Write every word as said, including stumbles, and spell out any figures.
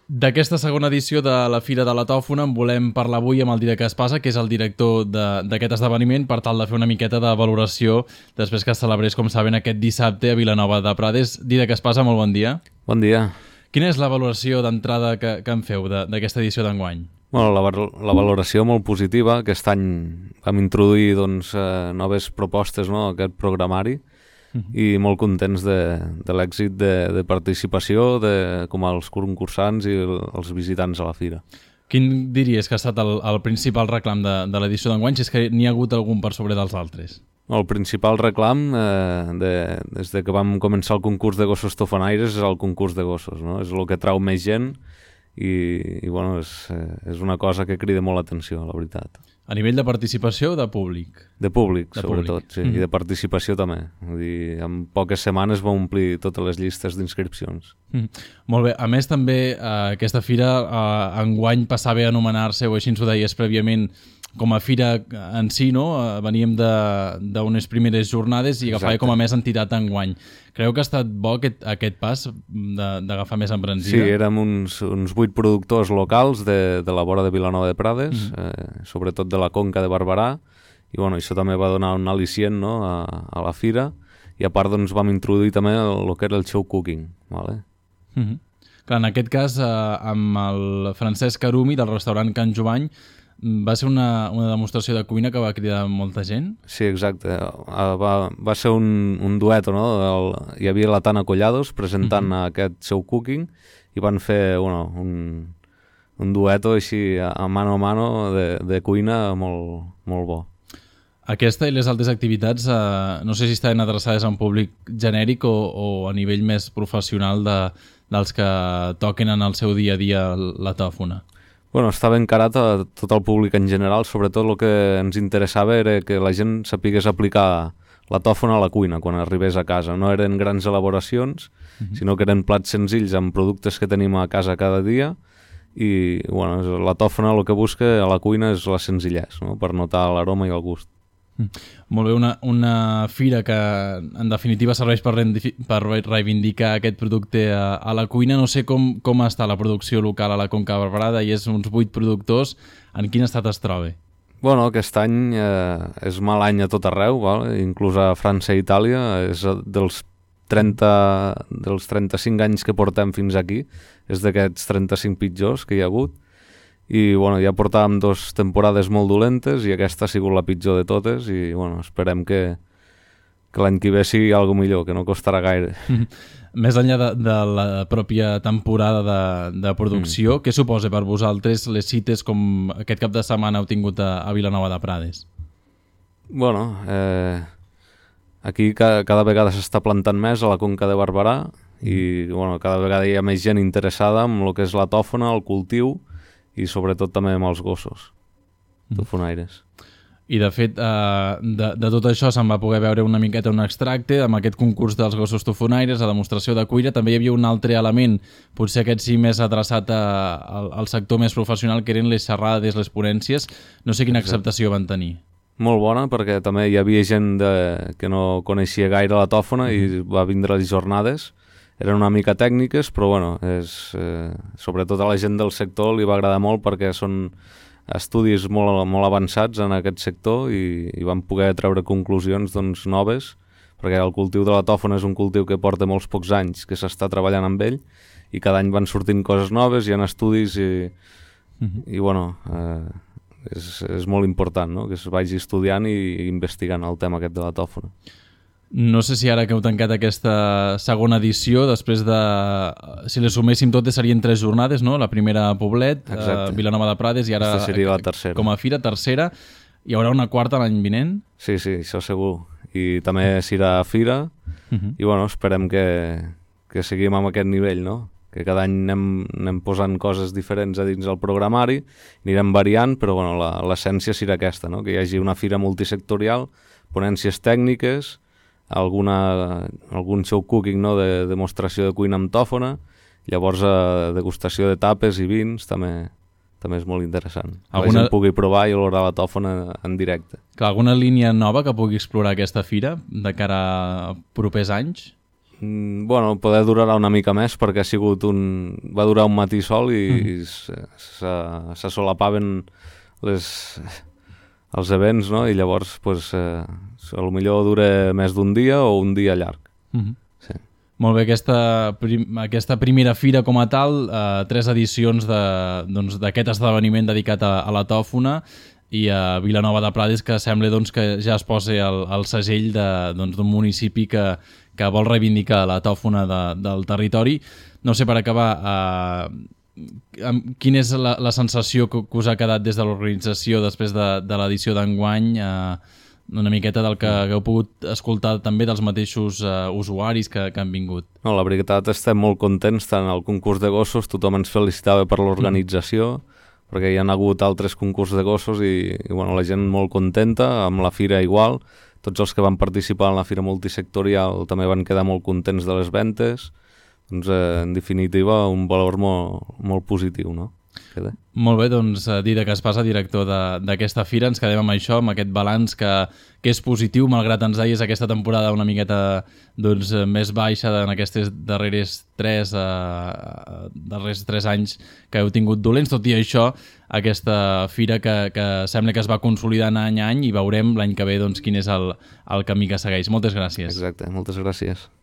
D'aquesta segona edició de la Fira de la Tòfona en volem parlar avui amb el Dídac Espasa, que és el director d'aquest esdeveniment, per tal de fer una miqueta de valoració després que es celebrés, com saben, aquest dissabte a Vilanova de Prades. Dídac Espasa, molt bon dia. Bon dia. Quina és la valoració d'entrada que, que en feu d'aquesta edició d'enguany? Bueno, la, la valoració molt positiva. Aquest any vam introduir doncs, eh, noves propostes, no?, a aquest programari, i molt contents de, de l'èxit de, de participació de, com els concursants i els visitants a la fira. Quin diries que ha estat el, el principal reclam de, de l'edició d'enguany, si és que n'hi ha hagut algun per sobre dels altres? El principal reclam, eh, de, des de que vam començar el concurs de gossos tofonaires, és el concurs de gossos, no? És el que trau més gent i, i bueno, és, és una cosa que crida molt l'atenció, la veritat. A nivell de participació o de públic? De públic, de sobretot, públic. sí, mm-hmm. I de participació també. Vull dir, en poques setmanes va omplir totes les llistes d'inscripcions. Mm. Molt bé. A més, també, eh, aquesta fira eh, enguany passava a anomenar-se, o així ens ho deies prèviament, com a fira en si, no? Uh, veníem d'unes primeres jornades i agafava com a més entitat enguany. Creu que ha estat bo aquest, aquest pas d'agafar més embranzida? Sí, érem uns, uns vuit productors locals de, de la vora de Vilanova de Prades, mm. eh, sobretot de la Conca de Barberà, i bueno, això també va donar un al·licient, no?, a, a la fira, i a part doncs, vam introduir també el, el que era el show cooking. Vale? Mm-hmm. Clar, en aquest cas, eh, amb el Francesc Arumi del restaurant Can Jovany, va ser una, una demostració de cuina que va cridar molta gent? Sí, exacte. Va, va ser un, un dueto, no? El, hi havia la Tana Collados presentant mm-hmm. aquest show cooking i van fer bueno, un, un dueto així a mano a mano de, de cuina molt, molt bo. Aquesta i les altres activitats eh, no sé si estaven adreçades a un públic genèric o, o a nivell més professional de, dels que toquen en el seu dia a dia la tòfona. Bueno, estava encarat a tot el públic en general, sobretot el que ens interessava era que la gent sapigués aplicar la tòfona a la cuina quan arribés a casa. No eren grans elaboracions, uh-huh. sinó que eren plats senzills amb productes que tenim a casa cada dia i bueno, la tòfona el que busca a la cuina és la senzillesa, no?, per notar l'aroma i el gust. Mm. Molt bé, una, una fira que en definitiva serveix per, per reivindicar aquest producte a, a la cuina. No sé com, com està la producció local a la Conca de Barberà, i és uns vuit productors. En quin estat es troba? Bueno, aquest any eh, és mal any a tot arreu, val? Inclús a França i Itàlia. És dels, trenta, dels trenta-cinc anys que portem fins aquí, és d'aquests trenta-cinc pitjors que hi ha hagut. I bueno, ja portàvem dues temporades molt dolentes i aquesta ha sigut la pitjor de totes i bueno, esperem que, que l'any que ve sigui alguna millor, que no costarà gaire. Més enllà de, de la pròpia temporada de, de producció, mm. què suposa per vosaltres les cites com aquest cap de setmana heu tingut a, a Vilanova de Prades? Bueno, eh, aquí cada, cada vegada s'està plantant més a la Conca de Barberà i bueno, cada vegada hi ha més gent interessada en el que és la tòfona, el cultiu, i sobretot també amb els gossos tofonaires. I de fet, eh, de, de tot això se'n va poder veure una miqueta un extracte amb aquest concurs dels gossos tofonaires, la demostració de cuina. També hi havia un altre element, potser aquest sí més adreçat a, a, al sector més professional, que eren les xerrades, les ponències. No sé quina acceptació van tenir. Molt bona, perquè també hi havia gent de, que no coneixia gaire la tòfona i va vindre les jornades. Eren una mica tècniques, però bueno, és, eh, sobretot a la gent del sector li va agradar molt perquè són estudis molt, molt avançats en aquest sector i, i van poder treure conclusions doncs, noves, perquè el cultiu de la tòfona és un cultiu que porta molts pocs anys que s'està treballant amb ell i cada any van sortint coses noves, hi ha estudis i, uh-huh. i bueno, eh, és, és molt important, no?, que es vagi estudiant i, i investigant el tema aquest de la tòfona. No sé si ara que heu tancat aquesta segona edició, després de... Si les suméssim totes serien tres jornades, no? La primera a Poblet, a Vilanova de Prades i ara seria la tercera. Com a fira, tercera. Hi haurà una quarta l'any vinent? Sí, sí, això segur. I també s'irà a fira uh-huh. i bueno, esperem que, que seguim amb aquest nivell, no? Que cada any anem, anem posant coses diferents a dins del programari, anirem variant, però bueno, l'essència serà aquesta, no? Que hi hagi una fira multisectorial, ponències tècniques, alguna, algun show cooking, no?, de demostració de cuina amb tòfona, llavors eh, degustació de tapes i vins també, també és molt interessant. Alguna... La gent pugui provar i olorar la tòfona en directe. Clar, alguna línia nova que pugui explorar aquesta fira de cara a propers anys? Mm, bueno, poder durarà una mica més perquè ha sigut un... va durar un matí sol i, mm. i se, se solapaven les, els events, no? I llavors, pues, eh, a lo millor dura més d'un dia o un dia llarg. Mm-hmm. Sí. Molt bé, aquesta, prim, aquesta primera fira com a tal, eh, tres edicions d'aquest doncs, esdeveniment dedicat a, a la tòfona i a Vilanova de Prades, que sembla doncs, que ja es posi el, el segell d'un doncs, municipi que, que vol reivindicar la tòfona de, del territori. No sé, per acabar, eh, quina és la, la sensació que, que us ha quedat des de l'organització després de, de l'edició d'enguany, eh, una miqueta del que hagueu pogut escoltar també dels mateixos uh, usuaris que, que han vingut? No, la veritat, estem molt contents. Tant al concurs de gossos tothom ens felicitava per l'organització, mm. perquè hi ha hagut altres concurs de gossos i, i bueno, la gent molt contenta, amb la fira igual. Tots els que van participar en la fira multisectorial també van quedar molt contents de les ventes. Doncs, eh, en definitiva, un valor molt, molt positiu, no? Queda. Molt bé, doncs Didac Espasa, director d'aquesta fira, ens quedem amb això, amb aquest balanç que, que és positiu, malgrat ens deies aquesta temporada una miqueta doncs, més baixa en aquests darrers tres, eh, darrers tres anys que heu tingut dolents. Tot i això, aquesta fira que, que sembla que es va consolidant any a any i veurem l'any que ve doncs, quin és el, el camí que segueix. Moltes gràcies. Exacte, moltes gràcies.